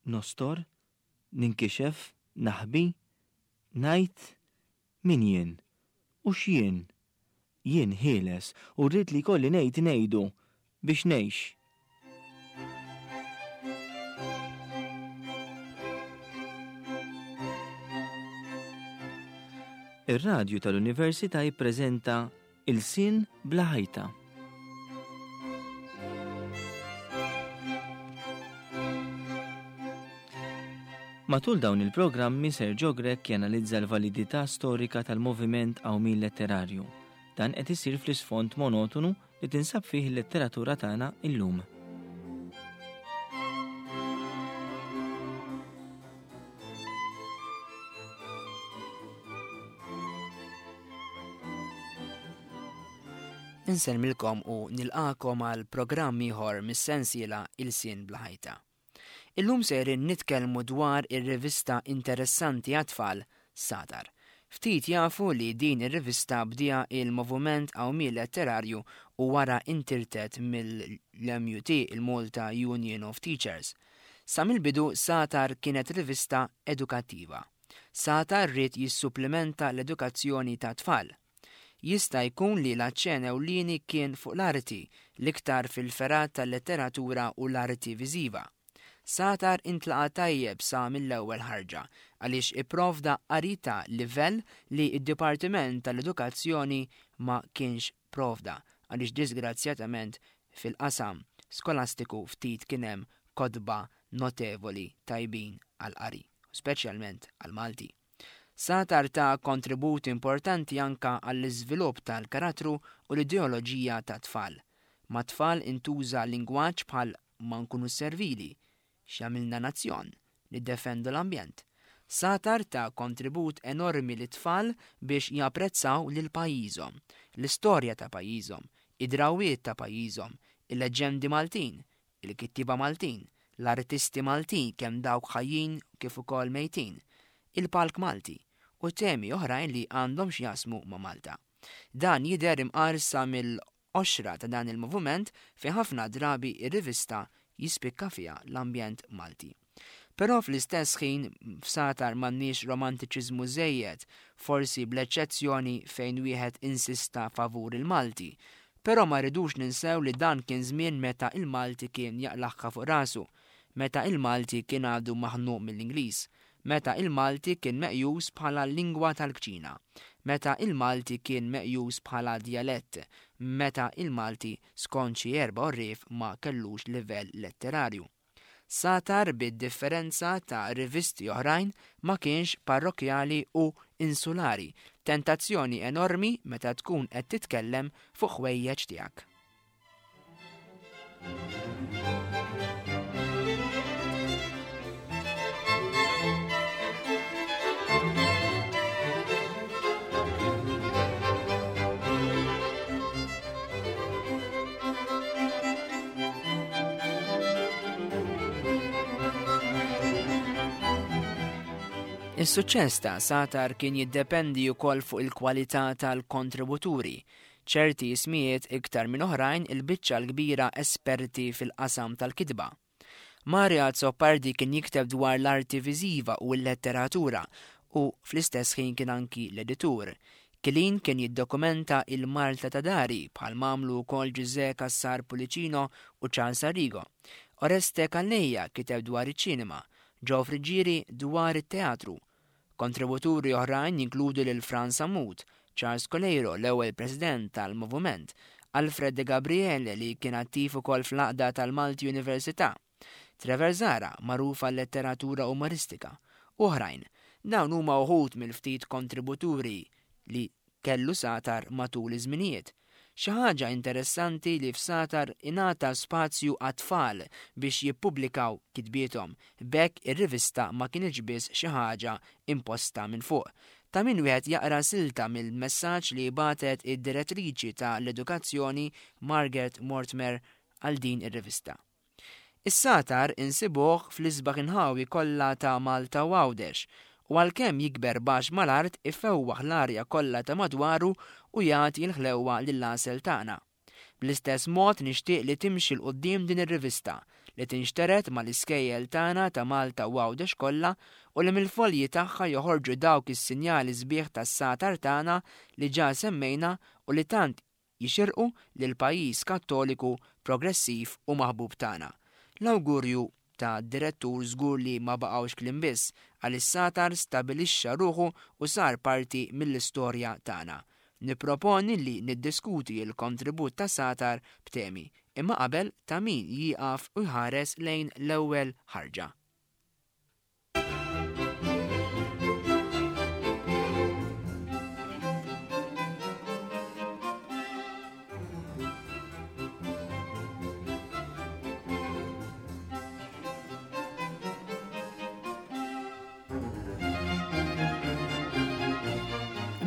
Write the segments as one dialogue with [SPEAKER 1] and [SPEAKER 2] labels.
[SPEAKER 1] Nostor? Ninkixef? Naħbi? Ngħid? Min jien? U x'jien? Jien ħieles u rrid li jkolli ngħid ngħidu biex ngħix. Ir-radju tal-Università jippreżenta Ilsien bla ħajta. Matul dawn il-programmi Sergio Grech janalizza l-validità storika tal-moviment qawmien letterarju. Dan qed isir fl-isfond monotonu li tinsab fih il-letteratura tagħna illum.
[SPEAKER 2] Insellmilkom u nilqakom għal programm ieħor mis-sensiela Ilsien Bla Ħajta. Illum sejrin nitkellmu dwar ir-rivista interessanti għat-tfal Sagħtar. Ftit jafu li din ir-rivista bdiha il-Moviment Qawmien Letterarju u wara intirtet mill-MUT, il-Malta Union of Teachers. Sa mill-bidu Sagħtar kienet rivista edukattiva. Sagħtar ried jissupplimenta l-edukazzjoni tat-tfal. Jista' jkun li l-aċċen ewlieni kien fuq l-arti, l-iktar fil-fergħat tal-letteratura u l-arti viżiva. Sagħtar intlaqa' tajjeb sa mill-ewwel ħarġa, għaliex ipprovda qari ta' livell li d-Dipartiment tal-Edukazzjoni ma kienx provda, għaliex diżgrazzjatament fil-qasam skolastiku ftit kien hemm kotba notevoli tajbin għall-qari, speċjalment għall-Malti. Sagħtar ta kontribut importanti anka għall-iżvilupp tal-karattru u l-ideoloġija tat-tfal. Mat-tfal intuża lingwaġġ bħal ma nkunux servili, x'jagħmilna nazzjon, niddefendu l-ambjent. Sagħtar ta kontribut enormi lit-tfal biex japprezzaw lil pajjiżhom, l-istorja ta' pajjiżhom, id-drawwiet ta' pajjiżhom, il-leġġendi Maltin, il-kittieba Maltin, l-artisti Maltin kemm dawk ħajjin kif ukoll mejtin, il-palk Malti, u temi oħrajn li għandhom x'jaqsmu ma' Malta. Dan jidher imqar sa mill-qoxra ta' dan il-movument fejn ħafna drabi r-rivista jispikka fiha l-ambjent Malti. Però fl-istess ħin f'Sagħtar m'għandniex romantiċiżmu żejjed, forsi bl-eċċezzjoni fejn wieħed insista favur il-Malti. Però ma rridux ninsew li dan kien żmien meta il-Malti kien jaqlagħha fuq rasu, meta il-Malti kien għadu maħnuq mill-Ingliż, meta il-Malti kien meqjus bħala l-lingwa tal-kċina, meta il-Malti kien meqjus bħala djalett, meta il-Malti skont xi erba' għorrief ma kellux livell letterarju. Sagħtar bid-differenza ta' rivisti oħrajn ma kienx parrokkjali u insulari, tentazzjoni enormi meta tkun qed titkellem fuq ħwejjeġ tiegħek. Is-suċċess ta' Sagħtar kien jiddependi wkoll fuq il-kwalità tal-kontributuri. Ċerti ismijiet iktar minn oħrajn il-biċċa l-kbira esperti fil-qasam tal-kitba. Mario Azzopardi kien jikteb dwar l-arti viżiva u l-letteratura u fl-istess ħin kien anki l-editur. Kilin kien jiddokumenta il-Malta ta' dari bħal m'għamlu wkoll Ġużè Cassar Pullicino u Charles Arrigo. Oreste Calleja kiteb dwar iċ-ċinema, Joe Friggieri dwar it-teatru. Kontributuri oħrajn jinkludu lil Frans Sammut, Charles Coleiro, l-ewwel President tal-Movument, Alfred De Gabriele li kien attiv ukoll fl-Għaqda tal-Malti Università, Trevor Zahra, magħruf għal-letteratura umoristika, u oħrajn. Dawn huma uħud mill-ftit kontributuri li kellu Sagħtar matul iż-żminijiet. Xi ħaġa interessanti li f'Sagħtar ingħata spazju għat-tfal biex jippubblikaw kitbiethom, b'hekk ir-rivista ma kinitx biss xi ħaġa imposta minn fuq. Ta' min wieħed jaqra silta mill-messaġġ li bagħtet id-Direttriċi ta' l-Edukazzjoni Margaret Mortmer għal din ir-rivista. Is-sagħtar insibuh fl-isbaħ inħawi kollha ta' Malta u Għawdex, u għalkemm jikber baxx mal-art ifewwaħ l-arja kollha ta' madwaru u jagħti l-ħlewwa lill-għasel tagħna. Bl-istess mod nixtieq li timxi 'l quddiem din ir-rivista, li tinxtered mal-iskejjel tagħna ta' Malta u Għawdex kollha u li mill-folji tagħha joħorġu dawk is-sinjali sbieħ tas-sagħtar tagħna li ġa semmejna u li tant jixirqu lill-pajjiż Kattoliku progressiv u maħbub tagħna. L-awgurju ta' direttur żgur li ma baqgħux kliem biss, għaliex Sagħtar stabilixxa ruħu u sar parti mill-istorja tagħna. Nipproponi li niddiskuti l-kontribut ta' Sagħtar b'temi, imma qabel ta' min jieqaf u jħares lejn l-ewwel ħarġa.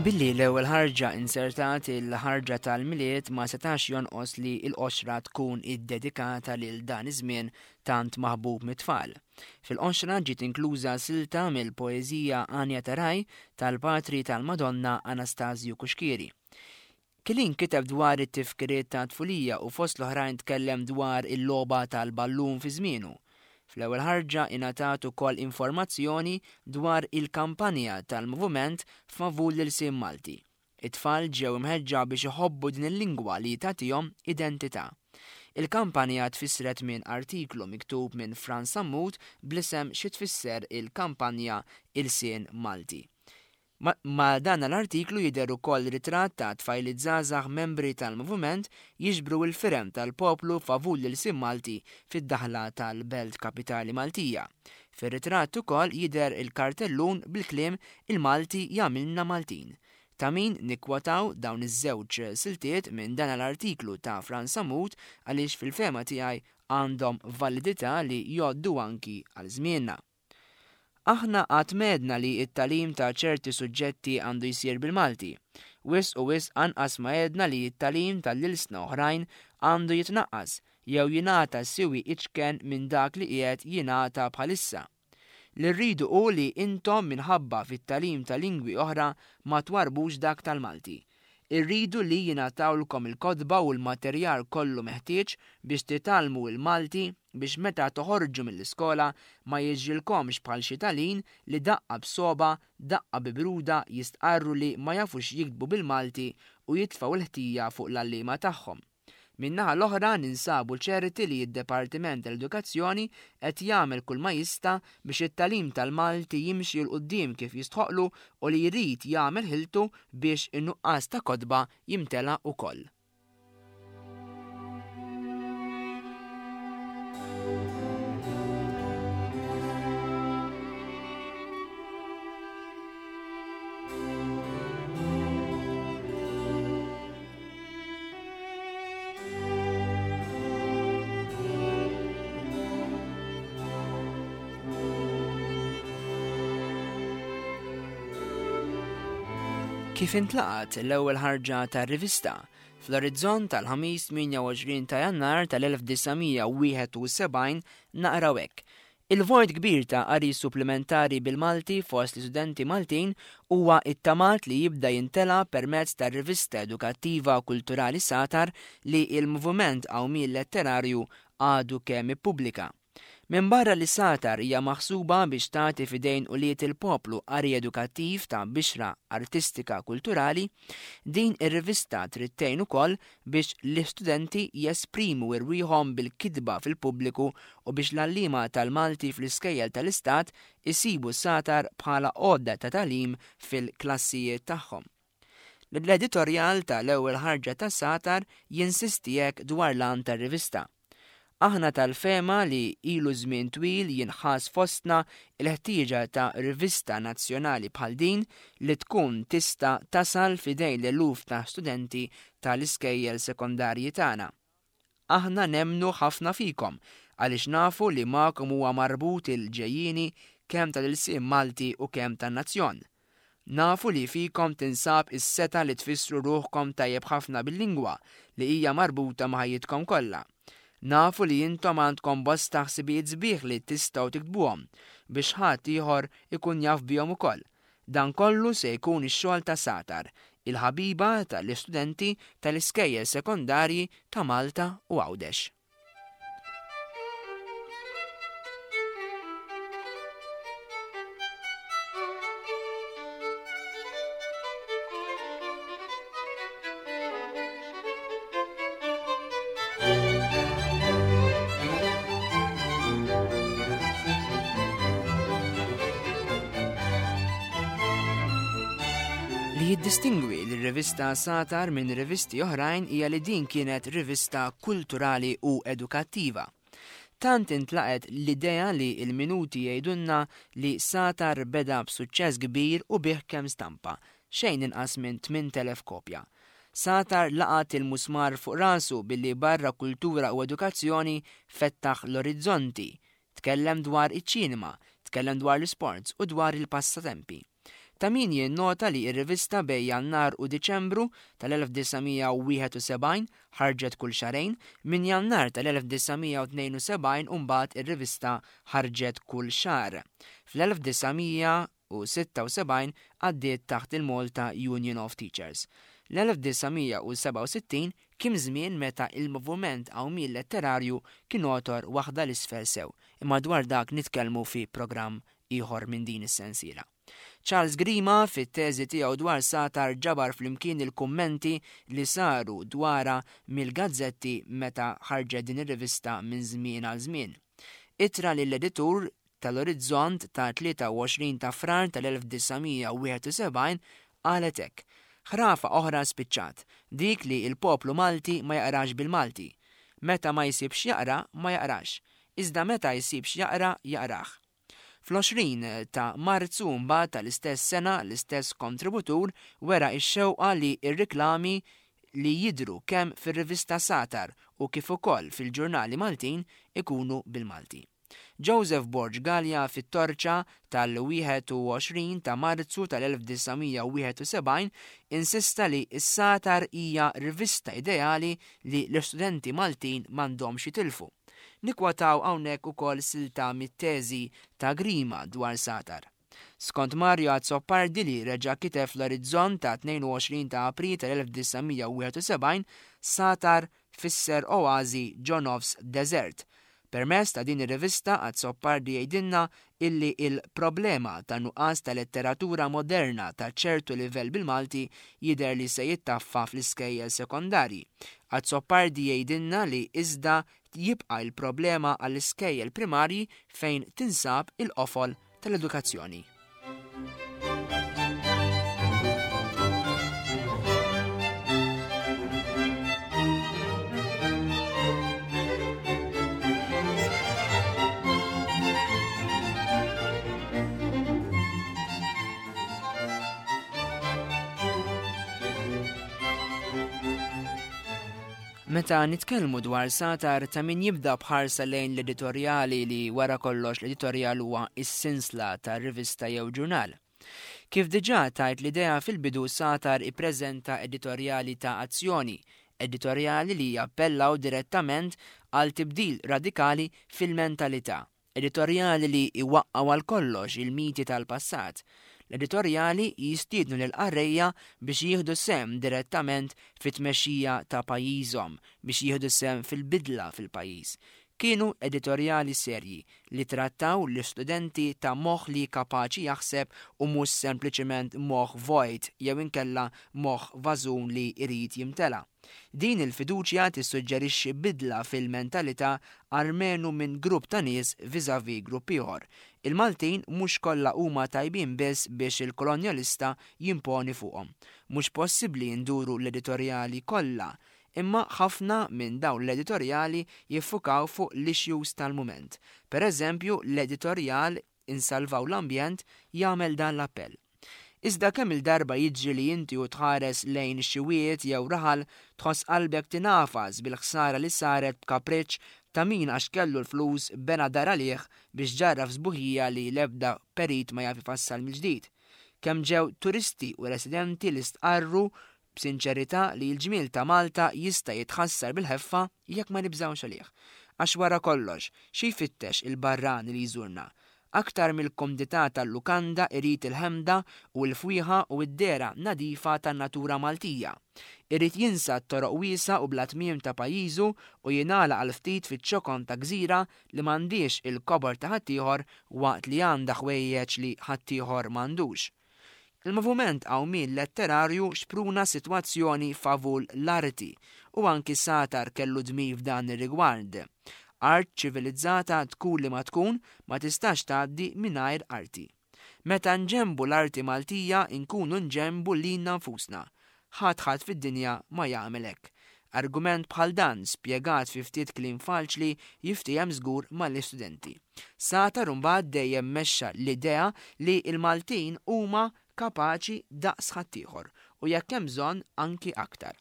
[SPEAKER 2] Billi l-ewwel ħarġa insertat il-ħarġa tal-Milied ma setax jonqos li l-qoxra tkun iddedikata lil dan iż-żmien tant maħbub mit-tfal. Fil-qoxra ġiet inkluża silta mill-poeżija Għanja ta' Ragħaj tal-Patri tal-Madonna Anastasju Cuschieri. Kilin kiteb dwar it-tifkiriet ta' tfulija u fost l-oħrajn tkellem dwar il-logħba tal-ballun fi żmienu. Fl-ewwel ħarġa ingħatat ukoll informazzjoni dwar il-kampanja tal-Moviment favur l-ilsien Malti. It-tfal ġew imħeġġa biex iħobbu din il-lingwa li tagħtihom identità. Il-kampanja tfissret minn artiklu miktub minn Frans Sammut bl-isem Xi tfisser il-kampanja Ilsien Malti. Ma' dan l-artiklu jidher ukoll ritratt ta' tfajliet żgħażagħ membri tal-Moviment jiġbru l-firem tal-poplu favur l-ilsien Malti fid-daħla tal-belt kapitali Maltija. Fir-ritratt ukoll jidher il-kartellun bil-kliem Il-Malti jagħmilna Maltin. Ta' min nikkwotaw dawn iż-żewġ siltiet minn dan l-artiklu ta' Frans Sammut għaliex fil-fehma tiegħi għandhom validità li jgħoddu anki għal żmienna. Aħna qatt m'għedna li t-tagħlim ta' ċerti suġġetti għandu jsir bil-Malti. Wisq u wisq anqas ma għedna li t-tagħlim ta' l-ilsna oħrajn għandu jitnaqqas jew jingħata siwi iċken minn dak li qiegħed jingħata bħalissa. Li rridu hu li intom minħabba fit-tagħlim ta' lingwi oħra ma twarrbux dak tal-Malti. Irridu li jingħatawlkom il-kotba u l-materjal kollu meħtieġ biex titgħallmu l-Malti biex meta toħorġu mill-iskola ma jiġrilkomx bħal xi talin li daqqa b'sogħba, daqqa bi bruda jistqarru li ma jafux jiktbu bil-Malti u jitfgħu l-ħtija fuq l-għalliema tagħhom. Min-naħa l-oħra ninsabu ċerti li d-Dipartiment tal-Edukazzjoni qed jagħmel kull ma jista' biex it-tagħlim tal-Malti jimxi 'l quddiem kif jistħoqqlu u li jrid jagħmel ħiltu biex in-nuqqas ta' kotba jimtela wkoll. Kif intlaqat l-ewwel ħarġa tar-rivista fl-Orizzont tal-Ħamis 28 ta' Jannar tal-1971 naqraw hekk: Il-vojt kbir ta' qari supplimentari bil-Malti fost l-istudenti Maltin huwa ittamat li jibda jimtela permezz tar-rivista edukattiva u kulturali Sagħtar li l-Moviment Qawmien Letterarju għadu kemm ippubblika. Minbarra li Sagħtar hija maħsuba biex tagħti f'idejn ulied il-poplu qari edukattiv ta' bixra artistika kulturali, din ir-rivista trid tgħin ukoll biex l-istudenti jesprimu rwieħhom bil-kitba fil-pubbliku u biex l-għalliema tal-Malti fl-iskejjel tal-Istat isibu s-sagħtar bħala għodda ta' tagħlim fil-klassijiet tagħhom. L-editorjal ta' l-ewwel ħarġa tas-sagħtar jinsisti hekk dwar l-għan tar-rivista, Aħna tal-fehma li ilu żmien twil jinħass fostna l-ħtieġa ta' rivista nazzjonali bħal din li tkun tista' tasal f'idejn l-eluf ta' studenti ta' l-iskejjel sekondarji tagħna. Aħna nemmnu ħafna fikom għaliex nafu li magħkom huwa marbut il-ġejjieni kemm tal-ilsien Malti u kemm tan-nazzjon. Nafu li fikom tinsab is-setgħa li tfissru ruħkom tajjeb ħafna bil-lingwa li hija marbuta ma' ħajjitkom kollha. Nafu li intom għandkom bosta ħsibijiet sbieħ li tistgħu tiktbuhom biex ħadd ieħor ikun jaf bihom ukoll. Dan kollu se jkun ix-xogħol ta' Sagħtar. il-ħabiba tal-istudenti tal-iskejjel sekondarji ta' Malta u Għawdex. Li jiddistingwi lir-rivista Satar minn rivisti oħrajn hija li din kienet rivista kulturali u edukattiva. Tant intlaqgħet l-idea li l-minuti jgħidulna li Satar beda b'suċċess kbir u biegħ kemm stampa, xejn inqas minn 8,000 kopja. Satar laqat il-musmar fuq rasu billi barra kultura u edukazzjoni fettaħ l-orizzonti. Tkellem dwar iċ-ċinema, tkellem dwar l-isports u dwar il-passatempi. Ta' min jinnota li r-rivista bejn Jannar u Diċembru tal-1971 ħarġet kull xahrejn, minn Jannar tal-1972 u mbagħad ir-rivista ħarġet kull xahar. Fl-1976 għaddiet taħt il-Malta Union of Teachers. L-1967 kien żmien meta il-moviment qawmien letterarju kien għotor waħda 'l isfel sew, imma dwar dak nitkellmu fi programm ieħor minn din is-sensiela. Charles Grima fit-teżi tiegħu dwar Satar ġabar flimkien il-kummenti li saru dwarha mill-gazzetti meta ħarġet din ir-rivista minn żmien għal żmien. Ittra lill-editur tal-Orizzont ta' 23 ta' Frar tal-1971 qalet hekk, Ħrafa oħra spiċċat, dik li l-poplu Malti ma jaqrax bil-Malti. Meta ma jsib x'jaqra, ma jaqrax. Iżda meta jsib x'jaqra, jaqrah. Fl-20 ta' Marzu mbagħad tal-istess sena l-istess kontributur wera x-xewqa li r-riklami li jidhru kemm fir-rivista Satar u kif ukoll fil-ġurnali Maltin ikunu bil-Malti. Joseph Borg Galea fit-Torċa tal-21 ta' Marzu tal-1971 insista li s-Satar hija rivista ideali li l-istudenti Maltin m'għandhomx jitilfu. Nikkwotaw hawnhekk ukoll silta mit-teżi ta' Grima dwar Satar. Skont Mario Azzopardi li reġa' kiteb fl-Orizzont ta' 22 ta' April tal-1971, Satar fisser oażi ġo nofs deżert. Permezz ta' din ir-rivista Azzopardi jgħidilna illi l-problema ta' nuqqas ta' letteratura moderna ta' ċertu livell bil-Malti jidher li se jittaffa fl-iskejjel sekondarji. Azzopardi jgħidilna li iżda jibqa' l-problema għall-iskejjel primarji fejn tinsab il-qofol tal-edukazzjoni. Meta nitkellmu dwar satar ta' min jibda b'ħarsa lejn l-editorjali li wara kollox l-editorjal huwa s-sinsla ta' rivista jew ġurnal. Kif diġà tajt l-idea fil-bidu Satar ippreżenta editorjali ta' azzjoni, editorjali li jappellaw direttament għal tibdil radikali fil-mentalità. Editorjali li jwaqqgħu għal kollox il-miti tal-passat. L-editorjali jistiednu lill-qarrejja biex jieħdu sehem direttament fit-tmexxija ta' pajjiżhom, biex jieħdu sehem fil-bidla fil-pajjiż. Kienu editorjali serji li trattaw l-istudenti ta' moħħ li kapaċi jaħseb u mhux sempliċement moħħ vojt jew inkella moħħ vażun li jrid jimtela. Din il-fiduċja tissuġġerixxi bidla fil-mentalità almenu minn grupp ta' nies vis-à-vis grupp ieħor. Il-Maltin mhux kollha huma tajbin biss biex il-kolonjalista jimponi fuqhom. Mhux possibbli nduru l-editorjali kollha, imma ħafna minn dawn l-editorjali jiffukaw fuq l-issues tal-mument. Per eżempju, l-editorjal Insalvaw l-Ambjent jagħmel dan l-appell. Iżda kemm-il darba jiġri li inti u tħares lejn xi wied jew raħal tħoss qalbek tingħafas bil-ħsara li saret b'kapriċċ ta' min għax kellu l-flus bena dar għalih biex ġarraf sbuħija li l-ebda perit ma jaf ifassal mill-ġdid. Kemm ġew turisti u residenti li stqarru b'sinċerità li l-ġmiel ta' Malta jista' jitħassar bil-ħeffa jekk ma nibżgħux għalih. Għax wara kollox, xi jfittex il-barrani li jżurna? Aktar mill-kumdità tal-lukanda irid il-ħemda u l-fwieħa u d-dehra nadifa tan-natura Maltija. Irid jinsa t-toroq wiesgħa u bla tmiem ta' pajjiżu u jingħalaq għal ftit fiċ-ċokon ta' gżira li m'għandhiex il-kobor ta' ħaddieħor waqt li għandha ħwejjeġ li ħaddieħor m'għandux. Il-moviment qawmien letterarju xpruna sitwazzjoni favur l-arti u anki Satar kellu dmir f'dan ir-rigward. Art ċivilizzata tkun li ma tkun ma tistax tgħaddi mingħajr arti. Meta nġenbu l-arti Maltija nkunu nġenbu lilna nfusna. Ħadd ħadd fid-dinja ma jagħmel hekk. Argument bħal dan, spjegat fi ftit kliem faċli, jiftiehem żgur mal-istudenti. Satar imbagħad dejjem mexxa l-idea li l-Maltin huma kapaċi daqs ħaddieħor u jekk hemm bżonn anki aktar.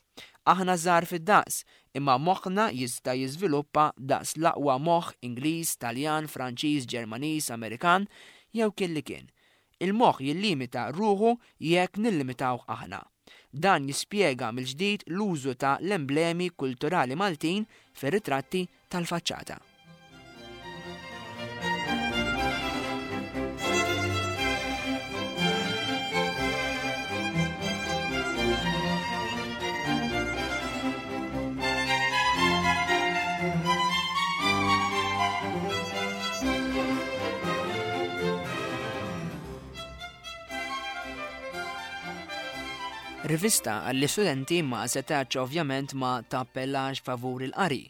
[SPEAKER 2] Aħna żgħar fid-daqs, imma moħħna jista' jiżviluppa daqs l-aqwa moħħ Ingliż, Taljan, Franċiż, Ġermaniż, Amerikan, jew kien li kien. Il-moħħ jillimita ruħu jekk nillimitawh aħna. Dan jispjega mill-ġdid l-użu ta' l-emblemi kulturali Maltin fir-ritratti tal-faċċata. Rivista għall-istudenti ma setax ovvjament ma tappellax favur il-qari.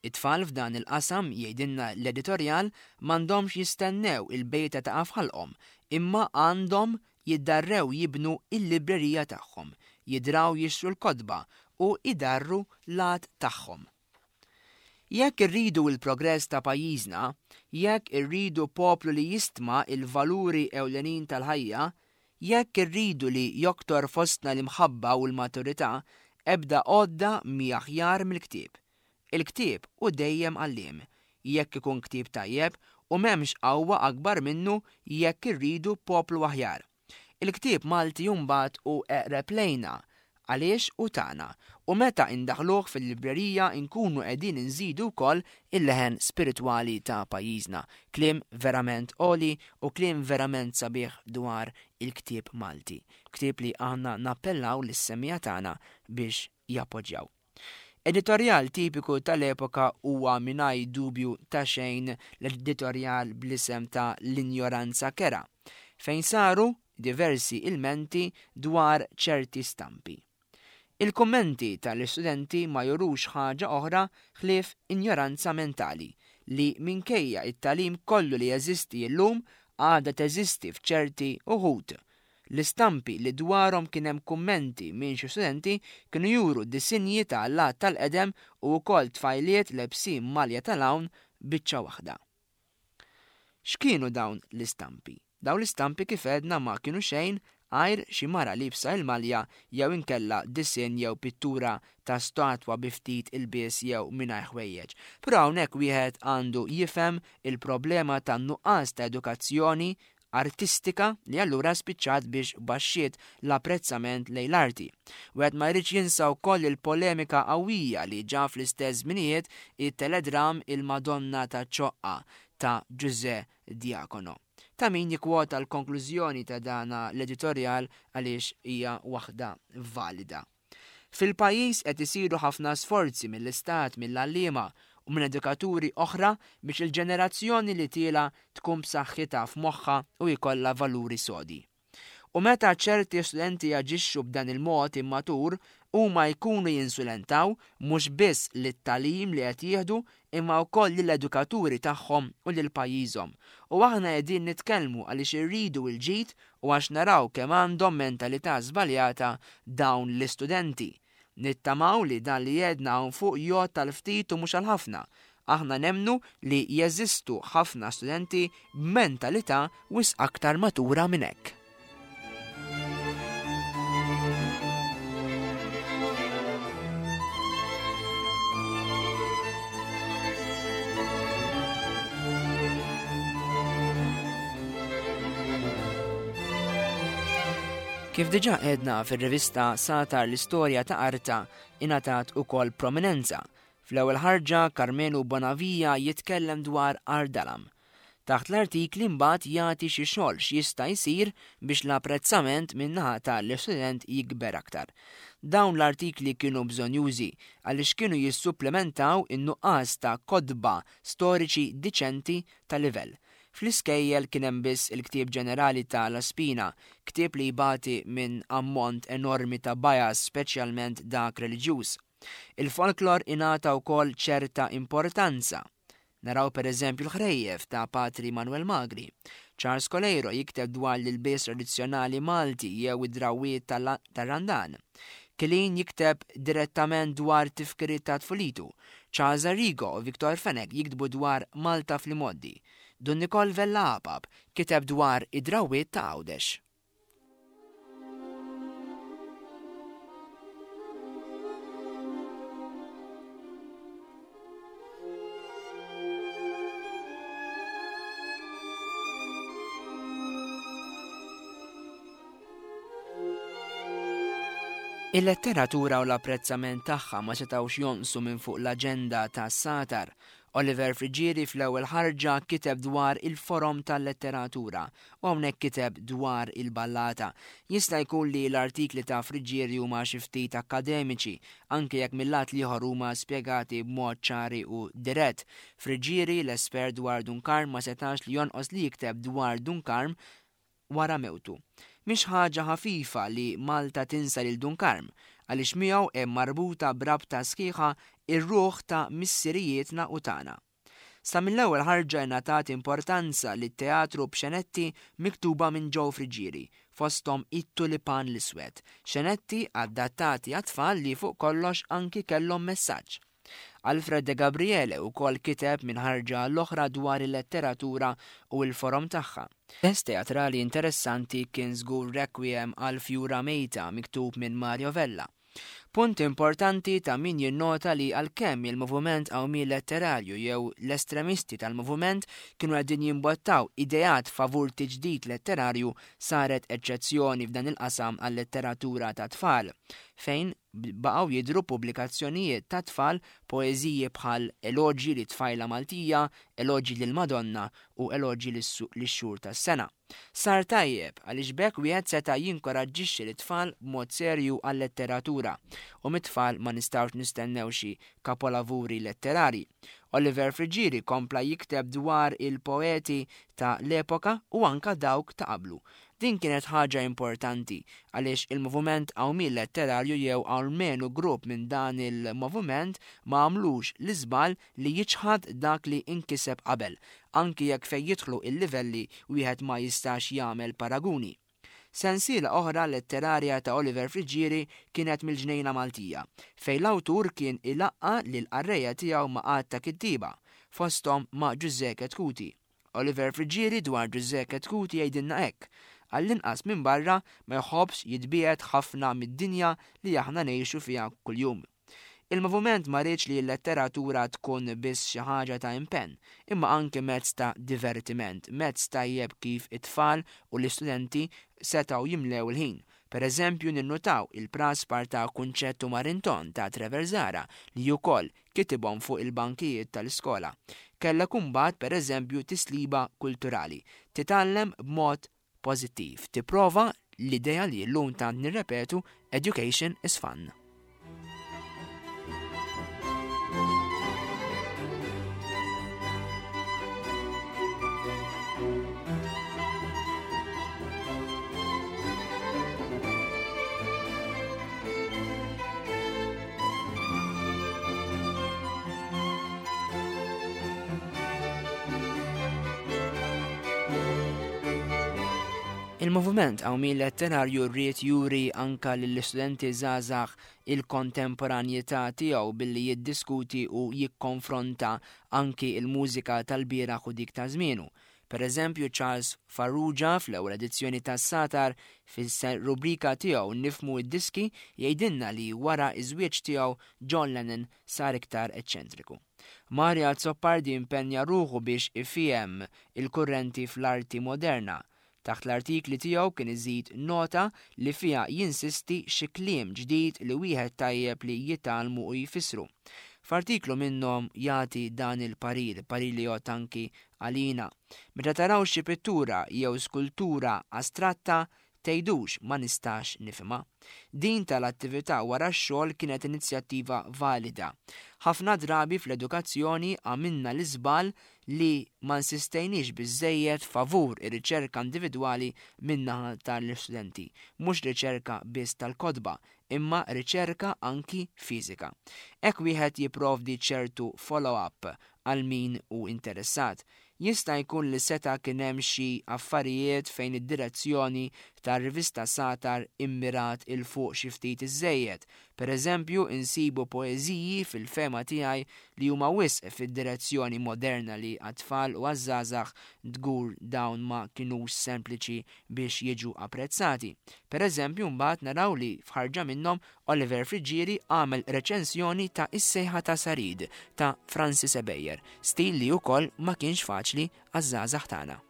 [SPEAKER 2] It-tfal f'dan il-qasam, jgħidilna l-editorjal, m'għandhomx jistennew il-bejta taqa' f'ħalqhom, imma għandhom jiddarrew jibnu l-librerija tagħhom, jidraw jixtru l-kotba u jdarru l-għad tagħhom. Jekk irridu l-progress ta' pajjiżna, jekk irridu poplu li jistma l-valuri ewlenin tal-ħajja, jekk irridu li joktor fostna l-imħabba u l-maturità, ebda għodda mhi aħjar mill-ktieb. Il-ktieb hu dejjem għalliem, jekk ikun ktieb tajjeb, u m'hemmx qawwa akbar minnu jekk irridu poplu aħjar. Il-ktieb Malti mbagħad hu eqreb lejna għaliex hu tagħna u meta indaħħluh fil-librerija nkunu qegħdin inżidu wkoll il-leħen spiritwali ta' pajjiżna. Kliem verament għoli u kliem verament sabiħ dwar il-ktieb Malti. Ktieb li aħna nappellaw lis-semmiegħa tagħna biex jappoġġjaw. Editorjal tipiku tal-epoka huwa mingħajr dubju ta' xejn l-editorjal bl-isem ta' L-Injoranza Kerha, fejn saru diversi ilmenti dwar ċerti stampi. Il-kummenti tal-istudenti ma jurux ħaġa oħra ħlief injoranza mentali li minkejja t-tagħlim kollu li jeżisti illum għadha teżisti f'ċerti uħud L-istampi li dwarhom kien hemm kummenti minn xi studenti kienu juru disinji ta' allat tal-qedem u wkoll tfajliet lebsin malja tal-għawn biċċa waħda. X'kienu dawn l-istampi? Dawn l-istampi kif għedna ma kienu xejn għajr xi mara liebsa il-malja jew inkella disinn jew pittura ta' statwa bi ftit ilbies jew mingħajr ħwejjeġ. Però hawnhekk wieħed għandu jifhem il-problema tan-nuqqas ta' edukazzjoni artistika li allura spiċċat biex baxxiet l-apprezzament lejn l-arti. Wieħed ma jridx jinsa wkoll il-polemika qawwija li ġa fl-istess żminijiet it-teledram Il-Madonna taċ-Ċoqqa ta' Ġużè Diacono. Ta' min jikkwota l-konklużjoni ta' dan l-editorjal għaliex hija waħda valida. Fil-pajjiż qed isiru ħafna sforzi mill-Istat, mill-għalliema u minn edukaturi oħra biex il-ġenerazzjoni li tielgħa tkun b'saħħitha f'moħħha u jkollha valuri sodi. U meta ċerti studenti jaġixxu b'dan il-mod immatur, huma jkunu jinsulentaw mhux biss lit-tagħlim li qed jieħdu imma wkoll lill-edukaturi tagħhom u lil pajjiżhom. U aħna qegħdin nitkellmu għaliex irridu l-ġid u għax naraw kemm għandhom mentalità żbaljata dawn l-istudenti. Nittamaw li dan li għedna hawn fuq jgħodd għal ftit u mhux għal ħafna. Aħna nemmnu li jeżistu ħafna studenti b'mentalità wisq aktar matura minn hekk. Kif diġà għedna fir-rivista Satar l-istorja ta' Arta ingħatat ukoll prominenza. Fl-ewwel ħarġa Karmenu Bonavia jitkellem dwar Ardalam. Taħt l-artikli mbagħad jagħti xi xogħol x'jista' jsir biex l-apprezzament min-naħa ta' l-istudent jikber aktar. Dawn l-artikli kienu bżonnjużi għaliex kienu jissupplementaw in-nuqqas ta' kotba storiċi diċenti ta' livell. Fl-iskejjel kien hemm biss il-ktieb ġenerali ta' La Spina, ktieb li jbati minn ammont enormi ta' bias speċjalment dak reliġjuż. Il-folklor ingħata wkoll ċerta importanza. Naraw per eżempju l-ħrejjef ta' Patri Manuel Magri. Charles Coleiro jikteb dwar l-ilbies tradizzjonali Malti jew id-drawwiet tar-Randan. Kilin jikteb direttament dwar tifkiriet ta' tfulitu. Charles Arrigo u Victor Fenech jiktbu dwar Malta fl-imgħoddi. Dun Nikol Vella Apap kiteb dwar id-drawwiet ta' Għawdex. Il-letteratura u l-apprezzament tagħha ma setgħux jonqsu minn fuq l-aġenda ta' Satar. Oliver Friggieri fl-ewwel ħarġa kiteb dwar il-forom tal-letteratura u hawnhekk kiteb dwar il-ballata. Jista' jkun li l-artikli ta' Friggieri huma xi ftit akkademiċi, anke jekk mil-lat l-ieħor huma spjegati b'mod ċari u dirett. Friggieri, l-espert dwar Dun Karm ma setax li jonqos li jikteb dwar Dun Karm wara mewtu. Mhix ħaġa ħafifa li Malta tinsa lil Dun Karm, għaliex miegħu hemm marbuta b'rabta sħiħa r-ruħ ta' missirijietna u tagħna. Sa mill-ewwel ħarġa ingħatat importanza lit-teatru b'xenetti miktuba minn Joe Friggieri, fosthom It-Tulipan l-Iswed, xenetti adattati għat-tfal li fuq kollox anki kellhom messaġġ. Alfred De Gabriele wkoll kiteb minn ħarġa għall-oħra dwar il-letteratura u l-forom tagħha. Test teatrali interessanti kien żgur Requiem għal Fjura Mejta miktub minn Mario Vella. Punt importanti ta' min jinnota li għalkemm il-moviment qawmien letterarju jew l-estremisti tal-moviment kienu qegħdin jimbottaw ideat favur tiġdid letterarju saret eċċezzjoni f'dan il-qasam għal-letteratura tat-tfal fejn baqgħu jidhru pubblikazzjonijiet tat-tfal poeżiji bħal Eloġji lit-Tfajla Maltija, Eloġji lill-Madonna u Eloġji lix-Xhur tas-Sena. Sar tajjeb, għaliex b'hekk wieħed seta' jinkoraġġixxi lit-tfal b'mod serju għal-letteratura, u mit-tfal ma nistgħux nistennew xi kapolavuri letterarji. Oliver Friggieri kompla jikteb dwar il-poeti ta' l-epoka u anka dawk ta' qablu. Din kienet ħaġa importanti, għaliex il-moviment qawmien letterarju jew almenu grupp minn dan il-moviment ma għamlux l-iżball li jiċħad dak li nkiseb qabel, anki jekk fejn jidħlu l-livelli wieħed ma jistax jagħmel paraguni. Sensiela oħra letterarja ta' Oliver Friggieri kienet Mill-Ġnejna Maltija, fejn l-awtur kien ilaqqa' lill-qarrejja tiegħu ma' għadd ta' kittieba, fosthom ma' Ġużè Chetcuti. Oliver Friggieri dwar Ġużè Chetcuti jgħidilna hekk, Għall-inqas minn barra ma jħobbx jitbiegħed ħafna mid-dinja li aħna ngħixu fiha kuljum. Il-moviment ma riedx li l-letteratura tkun biss xi ħaġa ta' impenn, imma anki mezz ta' divertiment, mezz tajjeb kif it-tfal u l-istudenti setgħu jimlew il-ħin. Per eżempju ninnutaw il-praspar ta' Kunċett u Marinton ta' Trevor Zahra li wkoll kitibhom fuq il-bankijiet tal-iskola. Kellek imbagħad per eżempju tisliba kulturali. Titgħallem b'mod pożittiv. Tipprova l-idea li llum tant nirrepetu education is fun. Il-moviment qawmien letterarju rrid juri anka lill-istudenti żgħażagħ il-kontemporanjità tiegħu billi jiddiskuti u jikkonfronta anki l-mużika tal-bieraħ u dik ta' żmienu. Per eżempju, Charles Farrugia fl-ewwel edizzjoni tas-Satar fis-rubrika tiegħu Nifhmu d-Diski jgħidilna li wara ż-żwieġ tiegħu John Lennon sar iktar eċċentriku. Mario Azzopardi impenja ruħu biex ifiehem il-kurrenti fl-arti moderna. Taħt l-artikli tiegħu kien iżid nota li fiha jinsisti xi kliem ġdid li wieħed tajjeb li jitgħallmu u jfissru. F'artiklu minnhom jagħti dan il-parir, parir li jgħodd anki għalina. Meta taraw xi pittura jew skultura astratta, tgħidux ma nistax nifhimha. Din tal-attività wara x-xogħol kienet inizjattiva valida. Ħafna drabi fl-edukazzjoni għamilna l-iżball li ma nsistejniex biżżejjed favur ir-riċerka individwali min-naħa tal-istudenti, mhux riċerka biss tal-kotba, imma riċerka anki fiżika. Hekk wieħed jipprovdi ċertu follow-up għal min hu interessat. Jista' jkun li seta' kien hemm xi affarijiet fejn id-direzzjoni tar-rivista Sagħtar immirat 'il fuq xi ftit iżżejjed. Per eżempju, insibu poeżiji fil-fehma tiegħi li huma wisq fid-direzzjoni moderna li għat-tfal u għaż-żgħażagħ dgur dawn ma kinux sempliċi biex jiġu apprezzati. Per eżempju, mbagħad naraw li f'ħarġa minnhom Oliver Friggieri għamel reċensjoni ta' Is-Sejħa ta' Sarid ta' Francis Ebejer, stil li wkoll ma kienx faċli għaż-żgħażagħ tagħna.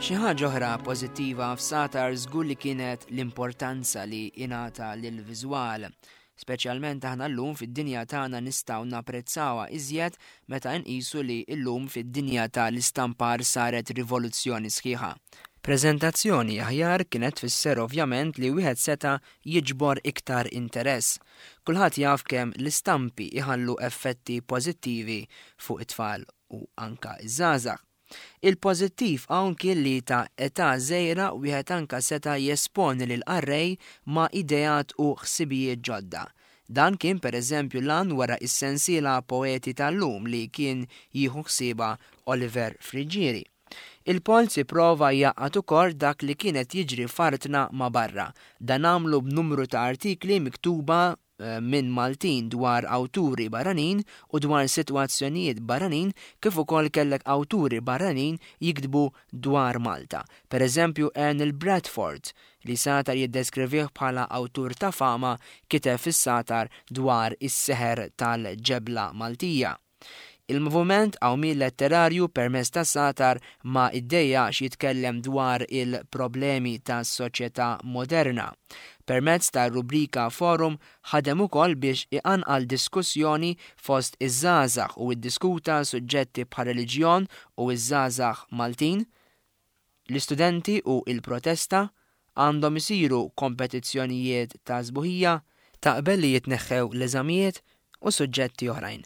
[SPEAKER 2] Xi ħaġa oħra pożittiva f'Satar żgur li kienet l-importanza li ingħata lill-viżwal. Speċjalment aħna llum fid-dinja tagħna nistgħu napprezzawha iżjed meta nqisu li llum fid-dinja ta' l-istampar saret rivoluzzjoni sħiħa. Preżentazzjoni aħjar kienet tfisser ovvjament li wieħed seta' jiġbor iktar interess. Kulħadd jaf kemm l-istampi jħallu effetti pożittivi fuq it-tfal u anka ż-żgħażagħ. Il-pożittiv hawn kien li ta' età żgħira wieħed anka seta' jesponi lill-qarrej ma' ideat u ħsibijiet ġodda. Dan kien per eżempju l-għan wara s-sensiela Poeti tal-Lum li kien jieħu ħsiebha Oliver Friggieri. Il-Polz ipprova jgħaqqad ukoll dak li kien qed jiġri f'artna ma' barra. Dan għamlu b'numru ta' artikli miktuba minn Maltin dwar awturi barranin u dwar sitwazzjonijiet barranin kif ukoll kellek awturi barranin jiktbu dwar Malta. Per eżempju Ernal Bradford, li Sagħtar jiddeskrivih bħala awtur ta' fama, kiteb fis-Sagħtar dwar is-seħer tal-ġebla Maltija. Il-moviment qawmien letterarju permezz ta' Sagħtar ma ddejjaqx jitkellem dwar il-problemi tas-soċjetà moderna. Permezz tar-rubrika Forum ħadem ukoll biex iqanqal diskussjoni fost iż-żgħażagħ u iddiskuta suġġetti bħar-reliġjon u ż-żgħażagħ Maltin, L-istudenti u l-protesta, għandhom isiru kompetizzjonijiet ta' sbuħija, taqbel li jitneħħew l-eżamijiet u suġġetti oħrajn.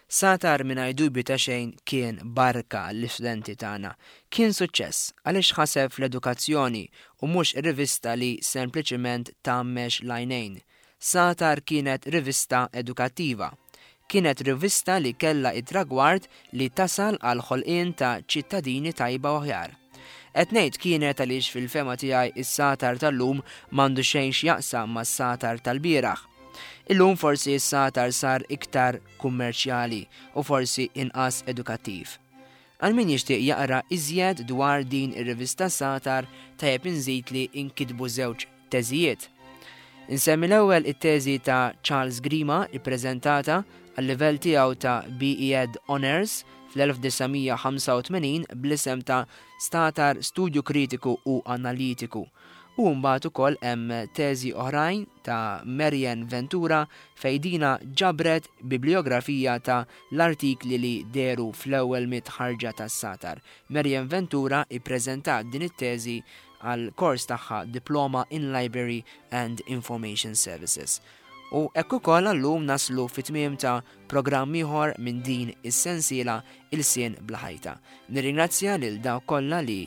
[SPEAKER 2] Sagħtar mingħajr dubju ta' xejn kien barka għall-istudenti tagħna. Kien suċċess għaliex ħaseb fl-edukazzjoni u mhux rivista li sempliċiment tgħammex l-għajnejn. Sagħtar kienet rivista edukattiva. Kienet rivista li kellha t-tragward li tasal għall-ħolqien ta' ċittadini tajba u aħjar. Qed ngħid kienet għaliex fil-fehma tiegħi s-sagħtar tal-lum m'għandu xejn x'jaqsam mas-sagħtar tal-bieraħ. Illum forsi s-sagħtar sar iktar kummerċjali u forsi inqas edukattiv. Għal min jixtieq jaqra iżjed dwar din ir-rivista Sagħtar tajjeb inżid li nkitbu żewġ teżijiet. Insemmi l-ewwel it-teżi ta' Charles Grima ippreżentata għal-livell tiegħu ta' BEd Honours fl-1985 bl-isem ta' Statar Studju Kritiku u Analitiku. U mbagħad ukoll hemm teżi oħrajn ta' Marianne Ventura fejn dina ġabret bibliografija ta' l-artikli li dehru fl-ewwel mitt ħarġa tas-Satar. Marianne Ventura ippreżentat din it-teżi għall-kors tagħha Diploma in Library and Information Services. U hekk ukoll għallum naslu fit-tmiem ta' programm ieħor minn din is-sensiela Ilsien Bla Ħajta. Nirringrazzja lil dawk kollha li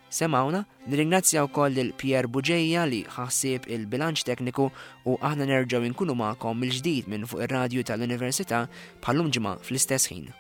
[SPEAKER 2] semawna, nirringrazzja wkoll lil Pierre Buġeja li ħassib il-bilanċ tekniku u aħna nerġgħu nkunu magħkom mill-ġdid minn fuq ir-radju tal-Università bħallum ġimgħa fl-istess ħin.